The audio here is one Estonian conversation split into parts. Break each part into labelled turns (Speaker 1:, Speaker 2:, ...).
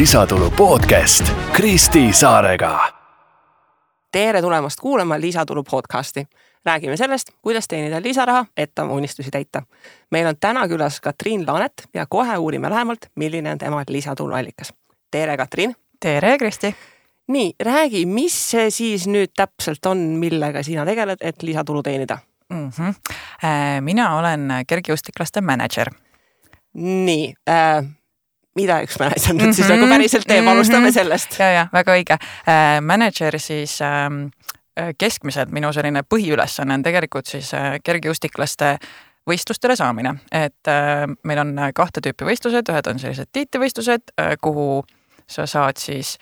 Speaker 1: lisatulu podcast Kristi Saarega.
Speaker 2: Tere tulemast kuulama lisatulu podcasti. Räägime sellest, kuidas teenida lisaraha, et oma unistusi täita. Meil on täna külas Katriin Laanet ja kohe uurime lähemalt, milline on tema lisatulu allikas. Tere, Katriin!
Speaker 3: Tere, Kristi!
Speaker 2: Nii, räägi, mis see siis nüüd täpselt on, millega sina tegeled, et lisatulu teenida?
Speaker 3: Mina olen kergejõustiklaste manager.
Speaker 2: Nii, mida üks manager nüüd siis nagu päriselt teeb, alustame sellest.
Speaker 3: Ja, väga õige. Manager siis keskmiselt minu selline põhiülesanne on tegelikult siis kergejõustiklaste võistlustele saamine. Et meil on 2 tüüpi võistlused, ühed on sellised tiitlivõistlused, kuhu sa saad siis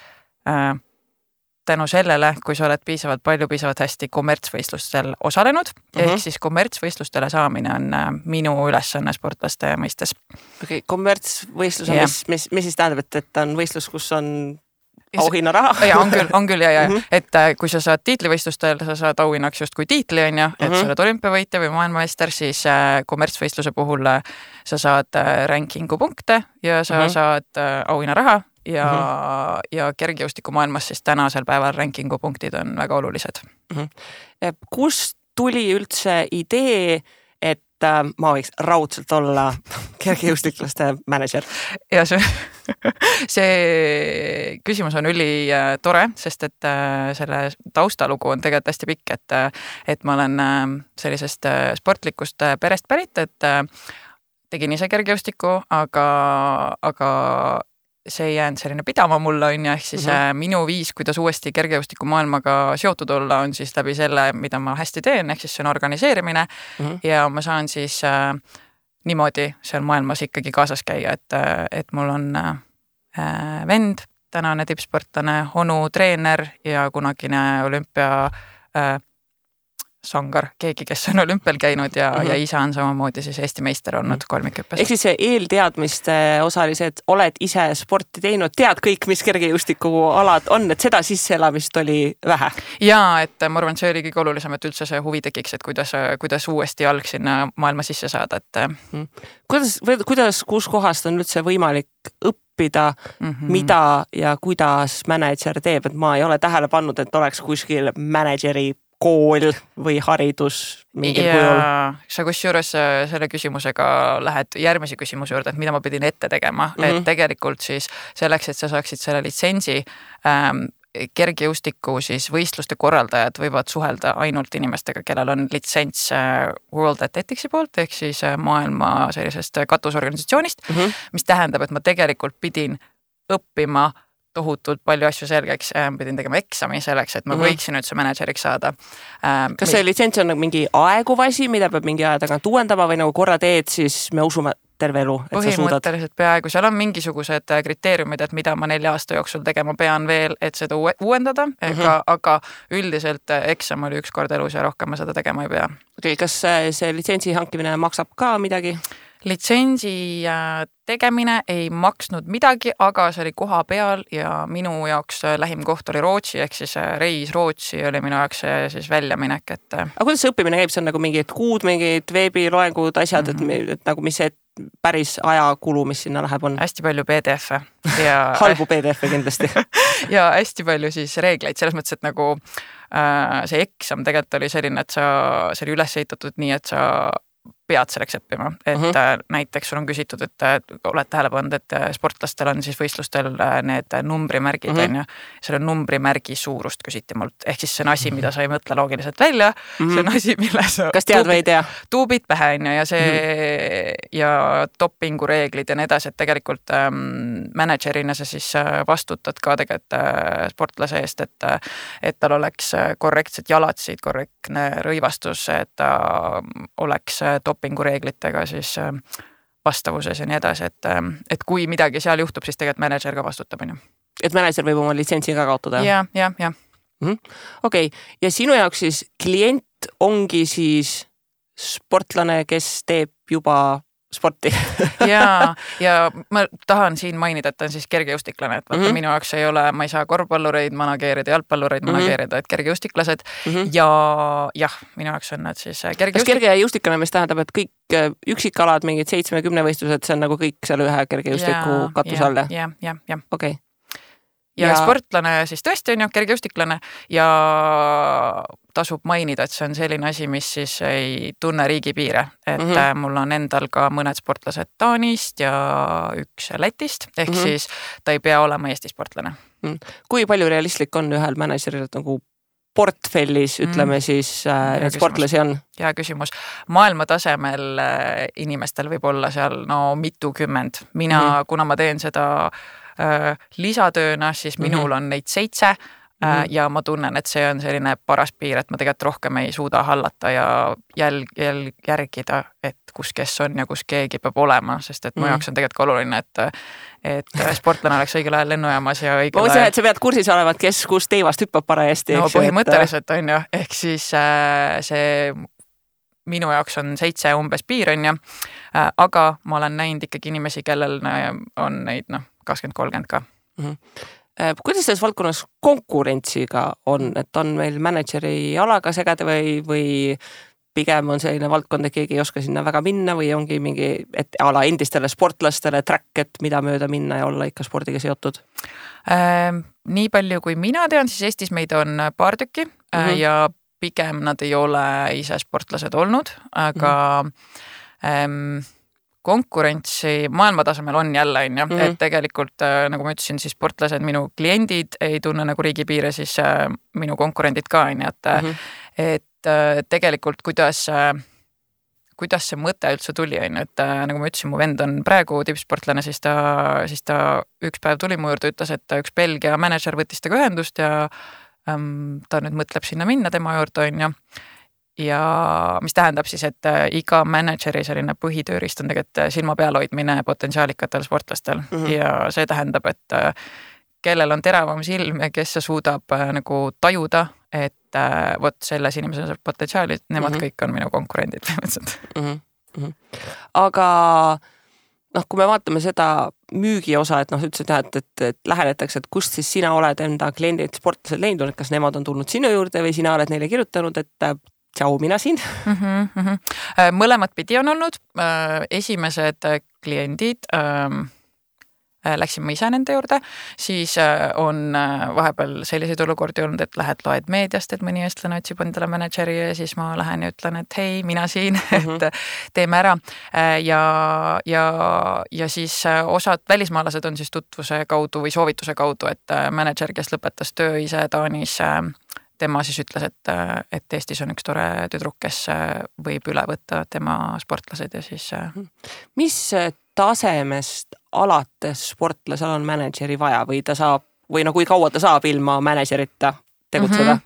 Speaker 3: tänu sellele, kui sa oled piisavalt hästi kommertsvõistlustel osalenud, ehk siis kommertsvõistlustele saamine on minu ülesanne sportlaste mõistes.
Speaker 2: Okei, kommertsvõistlus on, mis siis tähendab, et on võistlus, kus on auhinna raha?
Speaker 3: Ja, on küll. Et kui sa saad tiitlivõistlustel, sa saad auhinnaks just kui tiitli, on ju, et sa oled olümpiavõitja või maailmameister, siis kommertsvõistluse puhul sa saad rankingu punkte ja sa saad auhinna raha. Ja kergejõustiku maailmas siis tänasel päeval rankingu punktid on väga olulised.
Speaker 2: Kust tuli üldse idee, et ma võiks raudselt olla kergejõustiklaste manager?
Speaker 3: Ja see küsimus on üli tore, sest et selle taustalugu on tegelikult hästi pikk, et ma olen sellisest sportlikust perest pärit, et tegin ise kergejõustikku, aga see ei jäänud selline pidama mulle, on ja ehk siis minu viis, kuidas uuesti kergejõustiku maailmaga seotud olla, on siis läbi selle, mida ma hästi teen, ehk siis see on organiseerimine ja ma saan siis niimoodi seal maailmas ikkagi kaasas käia, et mul on vend, tänane tippsportlane, onu treener ja kunagine olümpia sangar, keegi, kes on olümpial käinud ja isa on samamoodi siis Eesti meister olnud kolmikhüppes.
Speaker 2: Ehk siis see eelteadmiste osalised, oled ise sporti teinud, tead kõik, mis kergejõustiku alad on, et seda sisseelamist oli vähe?
Speaker 3: Jaa, et ma arvan, et see oli kõige olulisem, et üldse see huvi tekiks, et kuidas uuesti jalg sinna maailma sisse saada.
Speaker 2: Kuidas, kus kohast on üldse võimalik õppida, mida ja kuidas manager teeb, et ma ei ole tähele pannud, et oleks kuskil manageri kool või haridus mingil kujul.
Speaker 3: Sa kusjuures selle küsimusega lähed järgmise küsimuse juurde, et mida ma pidin ette tegema. Et tegelikult siis selleks, et sa saaksid selle litsentsi, kergejõustiku siis võistluste korraldajad võivad suhelda ainult inimestega, kellel on litsents World Athletics'i poolt, ehk siis maailma sellisest katusorganisatsioonist, mis tähendab, et ma tegelikult pidin õppima tohutult palju asju selgeks, pidin tegema eksami selleks, et ma võiksin üldse manageriks saada.
Speaker 2: Kas see litsents on mingi aeguv asi, mida peab mingi aja tagant uuendama või nagu korra teed, siis me usume terve elu, et sa suudad?
Speaker 3: Põhimõtteliselt peaaegu, seal on mingisugused kriteeriumid, et mida ma 4 aasta jooksul tegema pean veel, et seda uuendada, aga üldiselt eksam oli 1 kord elus ja rohkem ma seda tegema ei pea.
Speaker 2: Okei, kas see litsentsi hankimine maksab ka midagi?
Speaker 3: Litsentsi tegemine ei maksnud midagi, aga see oli koha peal ja minu jaoks lähim koht oli Rootsi, ehk siis reis Rootsi oli minu jaoks siis väljaminek.
Speaker 2: Aga kuidas see õppimine käib? See on nagu mingid kuud, mingid veebiloengud, asjad, et nagu mis see päris ajakulu, mis sinna läheb on?
Speaker 3: Hästi palju PDF-e.
Speaker 2: Halbu PDF-e kindlasti.
Speaker 3: Ja hästi palju siis reegleid, selles mõttes, et nagu see eksam tegelikult oli selline, et see oli üles ehitatud nii, et sa pead selleks õppima, et näiteks sul on küsitud, et oled tähele pannud, et sportlastel on siis võistlustel need numbrimärgid, on ju. Selle numbrimärgi suurust küsiti mult, ehk siis see on asi, mida sa ei mõtle loogiliselt välja, see on asi, mille sa
Speaker 2: kas tead või ei tea?
Speaker 3: Tuubid pähe, on ju, ja see ja dopingu reeglid ja nii edasi, et tegelikult managerina sa siis vastutad ka tegelikult sportlase eest, et tal oleks korrektsed jalatsid, korrektne rõivastus, et ta oleks dopingureeglitega siis vastavuses ja nii edasi, et kui midagi seal juhtub, siis tegelikult manager ka vastutab.
Speaker 2: Et manager võib oma litsentsi ka kaotada?
Speaker 3: Ja.
Speaker 2: Okei, ja sinu jaoks siis klient ongi siis sportlane, kes teeb juba sporti.
Speaker 3: ja ma tahan siin mainida, et ta on siis kergejõustiklane, et vaata, minu jaoks ei ole, ma ei saa korvpallureid manageerida, jalgpallureid manageerida, et kergejõustiklased ja jah, minu jaoks on nad siis
Speaker 2: Kas kergejõustiklane, mis tähendab, et kõik üksikalad, mingid 7-10 võistlused, see on nagu kõik seal ühe kergejõustiku katuse all?
Speaker 3: Ja.
Speaker 2: Okei.
Speaker 3: ja sportlane siis tõesti on ju kergejõustiklane ja tasub mainida, et see on selline asi, mis siis ei tunne riigipiire, et mul on endal ka mõned sportlased Taanist ja üks Lätist, ehk siis ta ei pea olema Eesti sportlane.
Speaker 2: Kui palju realistlik on ühel manageril nagu portfellis, ütleme siis, need sportlasi on?
Speaker 3: Hea küsimus. Maailma tasemel inimestel võib olla seal mitukümmend. Mina, kuna ma teen seda lisatööna, siis minul on neid 7 ja ma tunnen, et see on selline paras piir, et ma tegelikult rohkem ei suuda hallata ja järgida, et kus kes on ja kus keegi peab olema, sest et mu jaoks on tegelikult oluline, et sportlane oleks õigel ajal lennujaamas ja õigel ajal.
Speaker 2: Et sa pead kursis olevat, kes kus teivast hüppab parajasti.
Speaker 3: No põhimõtteliselt on ju, ehk siis see minu jaoks on 7 umbes piir on ju, aga ma olen näinud ikkagi inimesi, kellel on neid 20-30 ka.
Speaker 2: Kuidas selles valdkonnas konkurentsiga on, et on meil manageri alaga segada või pigem on selline valdkond, et keegi ei oska sinna väga minna või ongi mingi ala endistele sportlastele track, et mida mööda minna ja olla ikka spordiga seotud?
Speaker 3: Nii palju kui mina tean, siis Eestis meid on paar tükki ja pigem nad ei ole ise sportlased olnud, aga konkurentsi maailma tasemel on jälle, et tegelikult, nagu ma ütlesin, siis sportlased, minu kliendid ei tunne nagu riigipiire, siis minu konkurendid ka, et tegelikult kuidas see mõte üldse tuli, et nagu ma ütlesin, mu vend on praegu tippsportlane, siis ta üks päev tuli mu juurde, ütles, et üks Belgia manager võttis temaga ühendust ja ta nüüd mõtleb sinna minna tema juurde, on ju. Ja mis tähendab siis, et iga manageri selline põhitöörist on tegelikult silma peal hoidmine potentsiaalikatel sportlastel ja see tähendab, et kellel on teravam silm ja kes suudab nagu tajuda, et vot selles inimesel on potentsiaali, nemad kõik on minu konkurendid.
Speaker 2: Aga kui me vaatame seda müügi osa, et ütlesid, et lähenetakse, et kust siis sina oled enda kliendid sportlased leidnud, kas nemad on tulnud sinu juurde või sina oled neile kirjutanud, et tšau, mina siin.
Speaker 3: Mõlemad pidi on olnud. Esimesed kliendid läksin ma ise nende juurde, siis on vahepeal selliseid olukordi olnud, et lähed loed meediast, et mõni eestlane otsib endale manageri ja siis ma lähen ja ütlen, et hei, mina siin, et teeme ära. Ja siis osad välismaalased on siis tutvuse kaudu või soovituse kaudu, et manager, kes lõpetas töö ise Taanis, tema siis ütles, et Eestis on üks tore tüdruk, kes võib üle võtta tema sportlased ja siis...
Speaker 2: Mis tasemest alates sportlasel on manageri vaja või ta saab, või kui kaua ta saab ilma managerita tegutseda?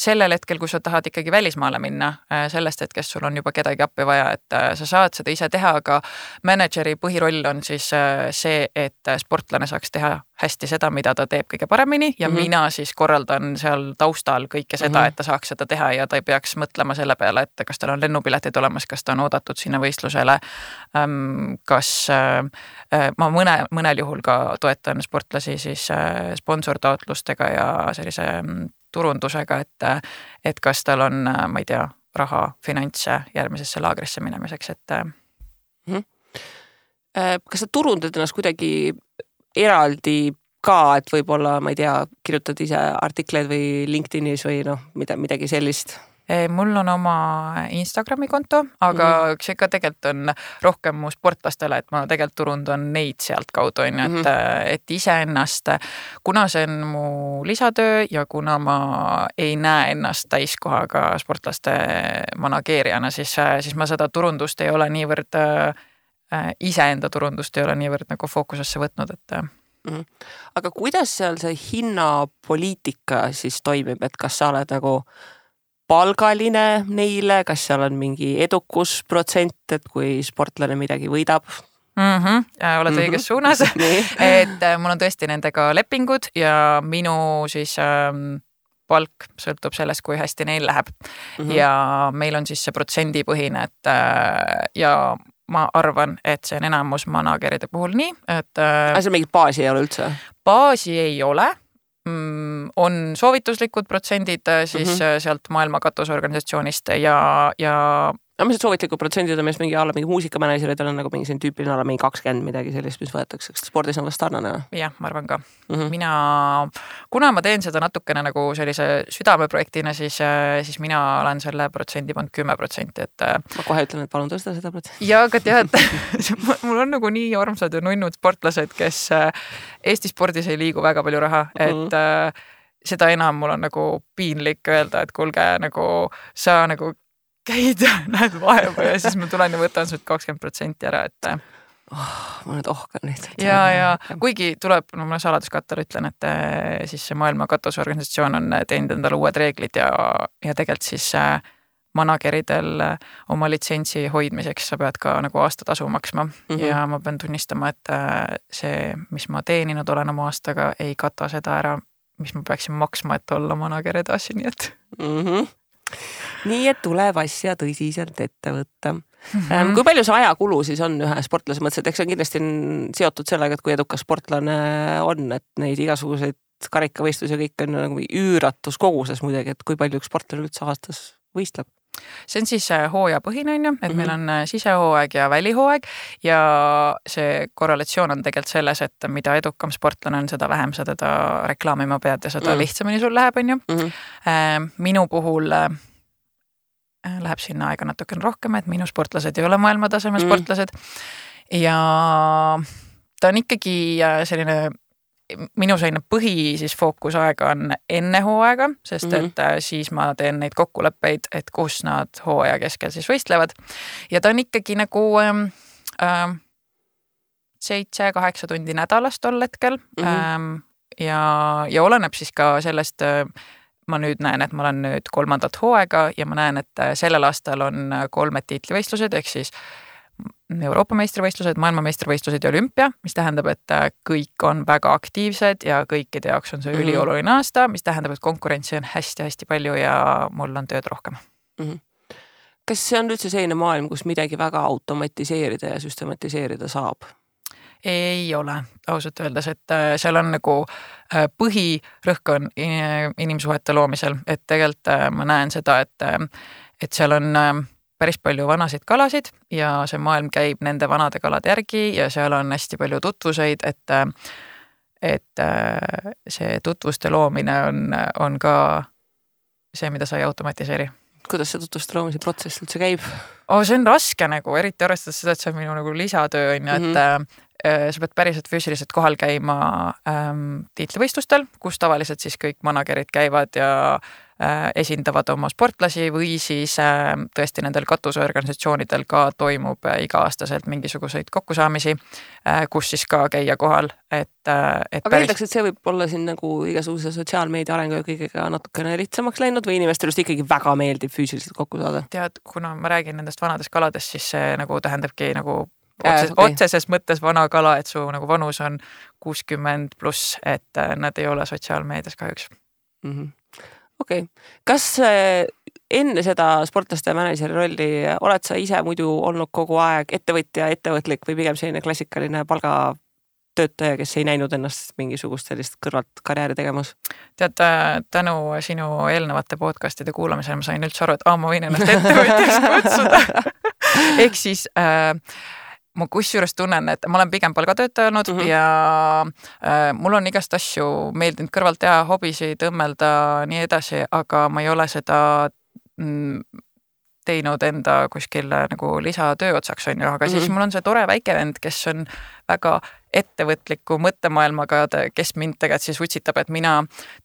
Speaker 3: Sellel hetkel, kui sa tahad ikkagi välismaale minna, sellest hetkest sul on juba kedagi appi vaja, et sa saad seda ise teha, aga manageri põhiroll on siis see, et sportlane saaks teha hästi seda, mida ta teeb kõige paremini ja mina siis korraldan seal taustal kõike seda, et ta saaks seda teha ja ta ei peaks mõtlema selle peale, et kas tal on lennupiletid olemas, kas ta on oodatud sinna võistlusele, kas ma mõnel juhul ka toetan sportlasi siis sponsortaotlustega ja sellise turundusega, et kas tal on, ma ei tea, raha, finantse järgmisesse laagrisse minemiseks, et...
Speaker 2: Kas sa turundad ennast kuidagi eraldi ka, et võib-olla, ma ei tea, kirjutad ise artikleid või LinkedInis või midagi sellist?
Speaker 3: Mul on oma Instagrami konto, aga see ka tegelikult on rohkem mu sportlastele, et ma tegelikult turundan neid sealt kaudu, et iseennast, kuna see on mu lisatöö ja kuna ma ei näe ennast täiskohaga sportlaste manageerijana, siis ma seda turundust ei ole niivõrd, iseenda turundust ei ole niivõrd nagu fookusesse võtnud, et...
Speaker 2: Aga kuidas seal see hinnapoliitika siis toimib, et kas sa oled nagu palgaline neile, kas seal on mingi edukusprotsent, et kui sportlane midagi võidab?
Speaker 3: Oled õiges suunas, et mul on tõesti nendega lepingud ja minu siis palk sõltub sellest, kui hästi neil läheb. Ja meil on siis see protsendipõhine, et ja ma arvan, et see on enamus manageride puhul nii, et...
Speaker 2: See mingit baasi ei ole üldse?
Speaker 3: Baasi ei ole. On soovituslikud protsendid siis sealt maailma katusorganisatsioonist ja
Speaker 2: no mis soovitlikud protsendid on, mis mingi alla mingi muusikamänedžerid on nagu mingi selline tüüpiline alla mingi 20 midagi sellist, mis võetakse, kas spordis on vast sarnane?
Speaker 3: Jah, ma arvan ka. Kuna ma teen seda natukene nagu sellise südameprojektina, siis mina olen selle protsendi pannud 10%, et
Speaker 2: ma kohe ütlen, et palun tõsta seda protsenti.
Speaker 3: Ja aga tead, mul on nagu nii armsad ja nunnud sportlased, kes Eesti spordis ei liigu väga palju raha, et seda enam mul on nagu piinlik öelda, et kuulge, nagu sa nagu käid ja näed vaeva ja siis ma tulen ja võtan sult 20% ära, et
Speaker 2: ma nüüd ohkan lihtsalt.
Speaker 3: Ja kuigi tuleb, no ma saladuskattel ütlen, et siis see maailma katusorganisatsioon on teinud endale uued reeglid ja tegelikult siis manageridel oma litsentsi hoidmiseks sa pead ka nagu aastatasu maksma ja ma pean tunnistama, et see, mis ma teeninud olen oma aastaga, ei kata seda ära, mis ma peaksin maksma, et olla manager edasi, nii et
Speaker 2: nii et tuleb asja tõsiselt ette võtta. Kui palju see ajakulu siis on ühe sportlase mõttes, et eks see on kindlasti seotud sellega, et kui edukas sportlane on, et neid igasuguseid karikavõistlusi ja kõik on nagu üüratus koguses muidugi, et kui palju üks sportlane üldse aastas võistleb?
Speaker 3: See on siis hooajapõhine, on ju, et meil on sisehooaeg ja välihooaeg ja see korrelatsioon on tegelikult selles, et mida edukam sportlane on, seda vähem sa teda reklaamima pead ja seda lihtsamini sul läheb, on ju. Minu puhul läheb sinna aega natukene rohkem, et minu sportlased ei ole maailmataseme sportlased ja ta on ikkagi selline minu selline põhi siis fookusaega on enne hooaega, sest et siis ma teen neid kokkuleppeid, et kus nad hooaja keskel siis võistlevad. Ja ta on ikkagi nagu 7-8 tundi nädalas tol hetkel ja oleneb siis ka sellest, ma nüüd näen, et ma olen nüüd 3. hooaega ja ma näen, et sellel aastal on 3 tiitlivõistlused, ehk siis Euroopa meistrivõistlused, maailmameistrivõistlused ja olümpia, mis tähendab, et kõik on väga aktiivsed ja kõikide jaoks on see ülioluline aasta, mis tähendab, et konkurentsi on hästi-hästi palju ja mul on tööd rohkem.
Speaker 2: Kas see on üldse selline maailm, kus midagi väga automatiseerida ja süstematiseerida saab?
Speaker 3: Ei ole, ausalt öeldes, et seal on nagu põhirõhk on inimsuhete loomisel, et tegelikult ma näen seda, et seal on päris palju vanasid kalasid ja see maailm käib nende vanade kalade järgi ja seal on hästi palju tutvuseid, et see tutvuste loomine on ka see, mida sa ei automatiseeri.
Speaker 2: Kuidas see tutvuste loomise protsess üldse käib?
Speaker 3: See on raske nagu, eriti arvestades seda, et see on minu nagu lisatöö, on ju, et sa pead päriselt füüsiliselt kohal käima tiitlivõistlustel, kus tavaliselt siis kõik managerid käivad ja esindavad oma sportlasi või siis tõesti nendel katusorganisatsioonidel ka toimub iga-aastaselt mingisuguseid kokkusaamisi, kus siis ka käia kohal.
Speaker 2: Aga eeldaks, et see võib olla siin nagu igasuguse sotsiaalmeedia arengu ja kõigega natukene lihtsamaks läinud või inimestel just ikkagi väga meeldib füüsiliselt kokku saada?
Speaker 3: Tead, kuna ma räägin nendest vanadest kaladest, siis see nagu tähendabki nagu otseses mõttes vana kala, et su nagu vanus on 60+, et nad ei ole sotsiaalmeedias kahjuks.
Speaker 2: Okei. Kas enne seda sportlaste ja manažeri rolli oled sa ise muidu olnud kogu aeg ettevõtja, ettevõtlik või pigem selline klassikaline palgatöötaja, kes ei näinud ennast mingisugust sellist kõrvalt karjääri tegemas? Tead,
Speaker 3: tänu sinu eelnevate podcastide kuulamisel ma sain üldse aru, et ma võin ennast ettevõtjaks kutsuda. Ehk siis ma kusjuures tunnen, et ma olen pigem palgatöötaja olnud ja mul on igast asju meeldinud kõrvalt teha, hobisid, õmmelda, nii edasi, aga ma ei ole seda teinud enda kuskil nagu lisatöö otsaks, on ju, aga siis mul on see tore väike vend, kes on väga ettevõtliku mõttemaailmaga, kes mind tegelikult siis utsitab, et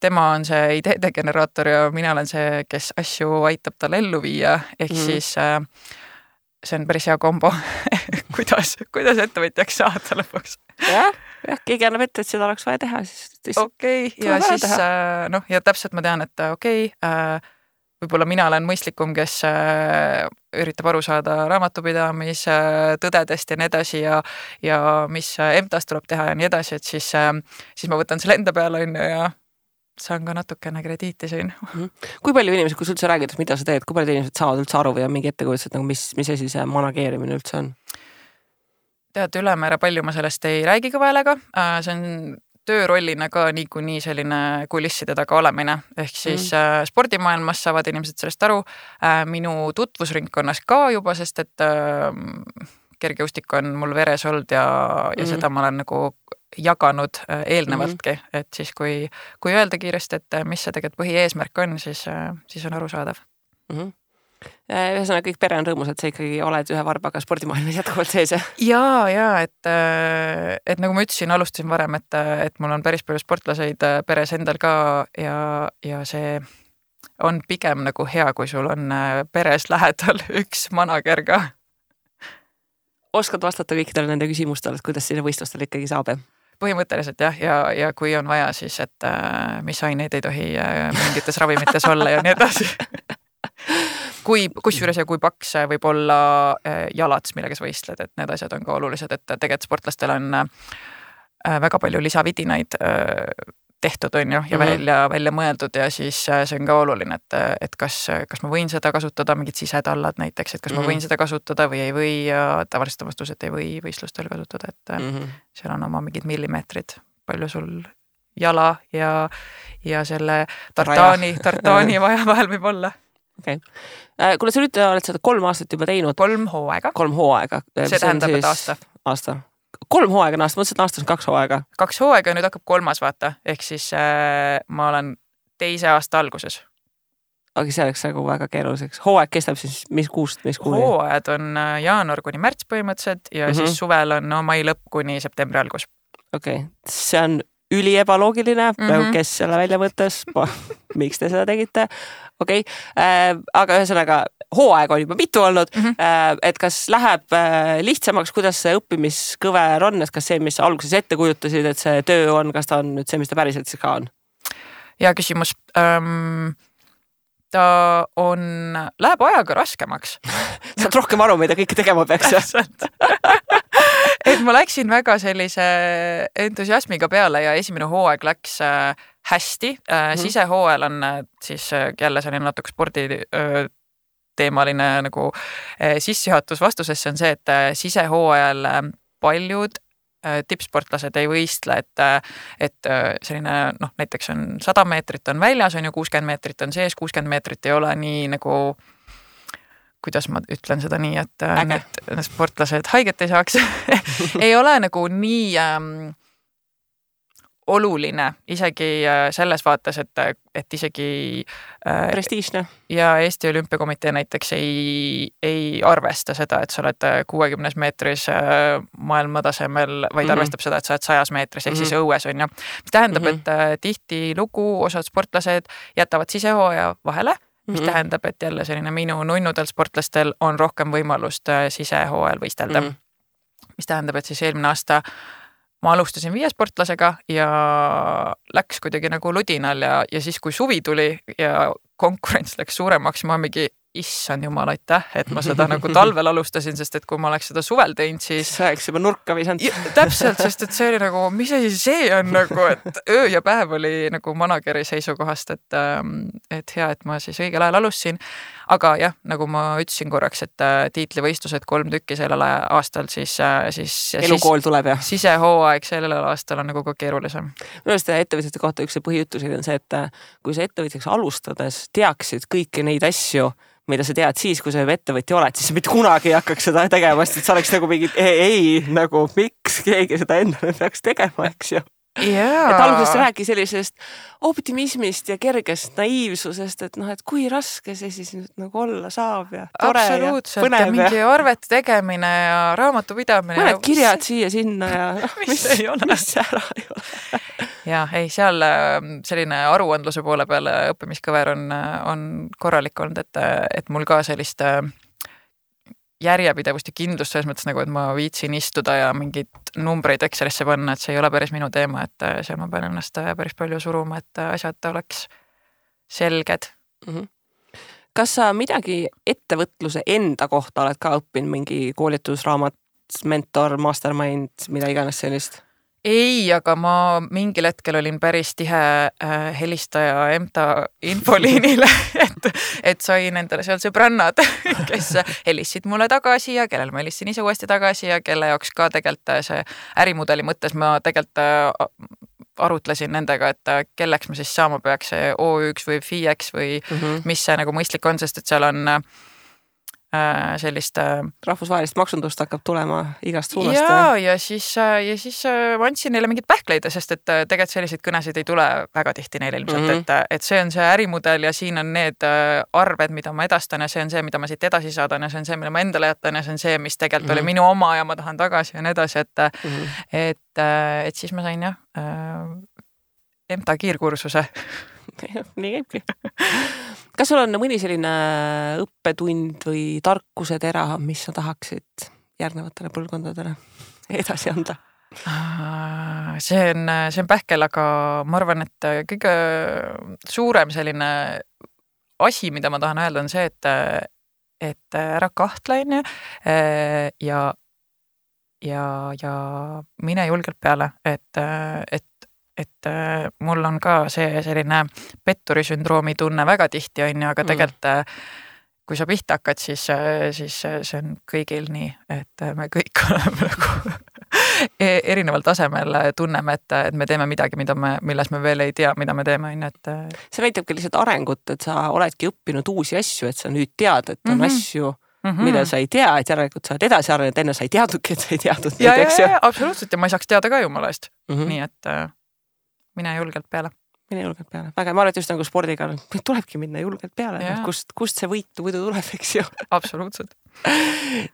Speaker 3: tema on see ideede generaator ja mina olen see, kes asju aitab tal ellu viia, ehk siis see on päris hea kombo. kuidas ettevõtjaks saada lõpuks?
Speaker 2: Jah, keegi annab ette, et seda oleks vaja teha.
Speaker 3: Okei, ja siis ja täpselt ma tean, et võib-olla mina olen mõistlikum, kes üritab aru saada raamatupidamise tõdedest ja nii edasi ja mis EMTA-st tuleb teha ja nii edasi, et siis ma võtan selle enda peale ja saan ka natukene krediiti siin.
Speaker 2: Kui palju inimesed, kui sa üldse räägid, mida sa teed, kui palju inimesed saavad üldse aru või on mingi ettekujutus, et mis asi see manageerimine üldse on?
Speaker 3: Tead, ülemäära palju ma sellest ei räägi kõva häälega. See on töörollina ka niikuinii selline kulisside taga olemine, ehk siis spordimaailmas saavad inimesed sellest aru, minu tutvusringkonnas ka juba, sest et kergejõustik on mul veres olnud ja seda ma olen nagu jaganud eelnevaltki, et siis kui öelda kiiresti, et mis see tegelikult põhieesmärk on, siis on arusaadav.
Speaker 2: Ühesõnaga kõik pere on rõõmus, et sa ikkagi oled ühe varbaga spordimaailmas jätkuvalt sees.
Speaker 3: Ja, et nagu ma ütlesin, alustasin varem, et mul on päris palju sportlaseid peres endal ka ja see on pigem nagu hea, kui sul on peres lähedal üks manager ka.
Speaker 2: Oskad vastata kõikidele nende küsimustele, et kuidas sinna võistlustel ikkagi saab?
Speaker 3: Põhimõtteliselt jah, ja kui on vaja, siis et mis aineid ei tohi mingites ravimites olla ja nii edasi. Kusjuures ja kui paks võib olla jalad, millega sa võistled, et need asjad on ka olulised, et tegelikult sportlastel on väga palju lisavidinaid tehtud, on ju, ja välja mõeldud ja siis see on ka oluline, et kas ma võin seda kasutada, mingid sisetallad näiteks, et kas ma võin seda kasutada või ei või ja tavaliselt on vastus, et ei või võistlustel kasutada, et seal on oma mingid millimeetrid, palju sul jala ja selle tartaani vaja vahel võib olla.
Speaker 2: Okay. Kuna sa nüüd oled seda 3 aastat juba teinud?
Speaker 3: 3 hooaega.
Speaker 2: 3 hooaega.
Speaker 3: See tähendab, et aasta.
Speaker 2: 3 hooaega on aasta, mõtlesin, et aastas on 2 hooaega.
Speaker 3: 2 hooaega ja nüüd hakkab 3. vaata, ehk siis ma olen 2. aasta alguses.
Speaker 2: Aga see oleks nagu väga keeruliseks. Hooaeg kestab siis mis kuust, mis kuuni?
Speaker 3: Hooajad on jaanuar kuni märts põhimõtteliselt ja siis suvel on mai lõpp kuni septembri algus.
Speaker 2: Okei, see on üliebaloogiline, kes selle välja mõttes, miks te seda tegite? Okei, aga ühesõnaga hooaeg on juba mitu olnud, et kas läheb lihtsamaks, kuidas see õppimiskõver on, et kas see, mis alguses ette kujutasid, et see töö on, kas ta on nüüd see, mis ta päriselt siis ka on?
Speaker 3: Hea küsimus. Ta läheb ajaga raskemaks.
Speaker 2: Saad rohkem aru, mida kõike tegema peaks.
Speaker 3: Et ma läksin väga sellise entusiasmiga peale ja esimene hooaeg läks hästi. Sisehooajal on siis jälle selline natuke spordi teemaline nagu sissejuhatus vastusesse on see, et sisehooajal paljud tippsportlased ei võistle, et selline, näiteks on 100 meetrit on väljas, on ju 60 meetrit on sees, 60 meetrit ei ole nii nagu kuidas ma ütlen seda nii, et need sportlased haiget ei saaks, ei ole nagu nii oluline isegi selles vaates, et isegi
Speaker 2: prestiižne.
Speaker 3: Ja Eesti Olümpiakomitee näiteks ei arvesta seda, et sa oled 60 meetris maailmatasemel, vaid arvestab seda, et sa oled 100 meetris, ehk siis õues on ju. Mis tähendab, et tihti lugu osad sportlased jätavad sisehooaja vahele, mis tähendab, et jälle selline minu nunnudel sportlastel on rohkem võimalust sisehooajal võistelda. Mis tähendab, et siis eelmine aasta ma alustasin 5 sportlasega ja läks kuidagi nagu ludinal ja siis, kui suvi tuli ja konkurents läks suuremaks, ma mingi issand jumal, aitäh, et ma seda nagu talvel alustasin, sest et kui ma oleks seda suvel teinud, siis
Speaker 2: sa oleks juba nurka visanud.
Speaker 3: Täpselt, sest et see oli nagu, mis asi see on nagu, et öö ja päev oli nagu manageri seisukohast, et hea, et ma siis õigel ajal alustasin. Aga jah, nagu ma ütlesin korraks, et tiitlivõistlused 3 tükki sellel aastal, siis
Speaker 2: elukool tuleb ja
Speaker 3: sisehooaeg sellel aastal on nagu ka keerulisem.
Speaker 2: Minu arust ettevõtjate kohta üks põhijutusid on see, et kui sa ettevõtjaks alustades teaksid kõiki neid asju, mida sa tead siis, kui sa ettevõtja oled, siis sa mitte kunagi ei hakkaks seda tegema, sest sa oleks nagu mingi nagu miks keegi seda endale peaks tegema, eks ju. Et alguses sa räägi sellisest optimismist ja kergest naiivsusest, et et kui raske see siis nüüd nagu olla saab ja tore
Speaker 3: absoluutselt,
Speaker 2: ja põnev.
Speaker 3: Ja mingi arvete tegemine ja raamatupidamine.
Speaker 2: Mõned kirjad siia-sinna ja
Speaker 3: mis ei ole.
Speaker 2: Mis ära ei ole.
Speaker 3: Ja ei, seal selline aruandluse poole peale õppimiskõver on korralik olnud, et mul ka sellist järjepidevust ja kindlust selles mõttes nagu, et ma viitsin istuda ja mingid numbreid Excelisse panna, et see ei ole päris minu teema, et seal ma pean ennast päris palju suruma, et asjad oleks selged.
Speaker 2: Kas sa midagi ettevõtluse enda kohta oled ka õppinud, mingi koolitusraamat, mentor, mastermind, mida iganes sellist?
Speaker 3: Ei, aga ma mingil hetkel olin päris tihe helistaja EMTA infoliinile, et sain endale seal sõbrannad, kes helistasid mulle tagasi ja kellel ma helistasin ise uuesti tagasi ja kelle jaoks ka tegelikult see ärimudeli mõttes ma tegelikult arutlesin nendega, et kelleks ma siis saama peaks, see O1 või FIEX või mis see nagu mõistlik on, sest et seal on sellist
Speaker 2: rahvusvahelist maksundust hakkab tulema igast suunast.
Speaker 3: Ja siis ma andsin neile mingid pähkleid, sest et tegelikult selliseid kõnesid ei tule väga tihti neile ilmselt, et see on see ärimudel ja siin on need arved, mida ma edastan ja see on see, mida ma siit edasi saadan ja see on see, mille ma endale jätan ja see on see, mis tegelikult oli minu oma ja ma tahan tagasi ja nii edasi, et siis ma sain EMTA kiirkursuse.
Speaker 2: Nii käibki. Kas sul on mõni selline õppetund või tarkusetera, mis sa tahaksid järgnevatele põlvkondadele edasi anda?
Speaker 3: See on pähkel, aga ma arvan, et kõige suurem selline asi, mida ma tahan öelda, on see, et ära kahtle ja mine julgelt peale, et mul on ka see selline petturisündroomi tunne väga tihti on, aga tegelikult kui sa pihta hakkad, siis see on kõigil nii, et me kõik oleme nagu erineval tasemel tunneme, et me teeme midagi, milles me veel ei tea, mida me teeme.
Speaker 2: See näitabki lihtsalt arengut, et sa oledki õppinud uusi asju, et sa nüüd tead, et on asju, mida sa ei tea, et järelikult sa oled edasi arenenud, enne sa ei teadnudki, et sa ei teadnud.
Speaker 3: Ja, absoluutselt, ja ma ei saaks teada ka jumala eest. Nii et mine julgelt peale.
Speaker 2: Mine julgelt peale. Väga, ma arvan, just nagu spordiga tulebki minna julgelt peale. Kust see võidu tuleb, eks ju?
Speaker 3: Absoluutselt.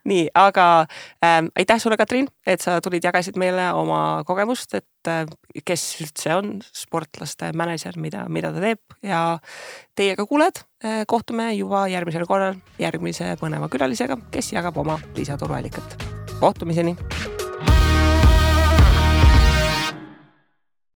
Speaker 2: Nii, aga aitäh sulle, Katriin, et sa tulid jagasid meile oma kogemust, et kes üldse on sportlaste manager, mida ta teeb ja teiega kuuled. Kohtume juba järgmisel korral järgmise põneva külalisega, kes jagab oma lisatoruallikat. Kohtumiseni!